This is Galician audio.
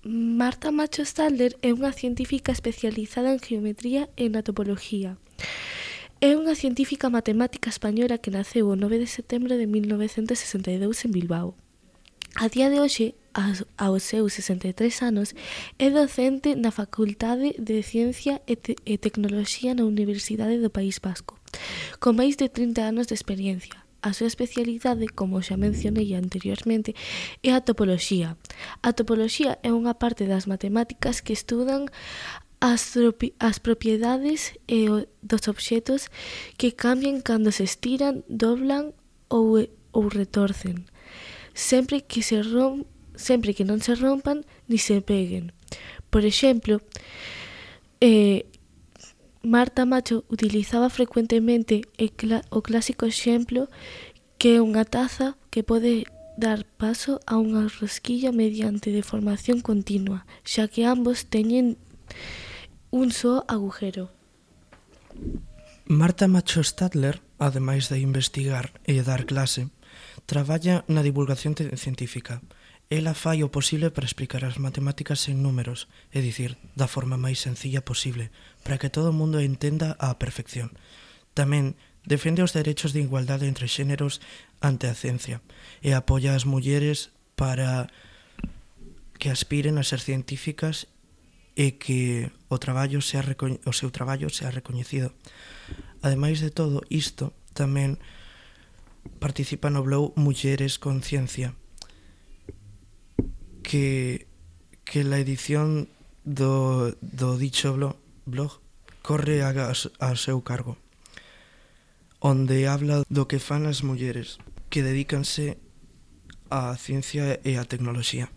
Marta Macho Stadler é unha científica especializada en geometría e na topoloxía. É unha científica matemática española que naceu o 9 de setembro de 1962 en Bilbao. A día de hoxe, aos seus 63 anos, é docente na Facultade de Ciencia e Tecnoloxía na Universidade do País Vasco, con máis de 30 anos de experiencia. A súa especialidade, como xa mencionei anteriormente, é a topoloxía. A topoloxía é unha parte das matemáticas que estudan as propiedades dos obxetos que cambian cando se estiran, doblan ou retorcen, sempre que non se rompan ni se peguen. Por exemplo, Marta Macho utilizaba frecuentemente o clásico exemplo que é unha taza que pode dar paso a unha rosquilla mediante deformación continua, xa que ambos teñen un só agujero. Marta Macho Stadler, ademais de investigar e dar clase, traballa na divulgación científica. Ela fai o posible para explicar as matemáticas en números, é dicir, da forma máis sencilla posible, para que todo o mundo entenda á perfección. Tamén defende os derechos de igualdade entre xéneros ante a ciencia e apoia as mulleres para que aspiren a ser científicas e que o seu traballo sea recoñecido. Ademais de todo isto, tamén participa no blog Mulleres con Ciencia, que la edición do dicho blog corre a seu cargo, onde habla do que fan as mulleres que dedícanse á ciencia e á tecnoloxía.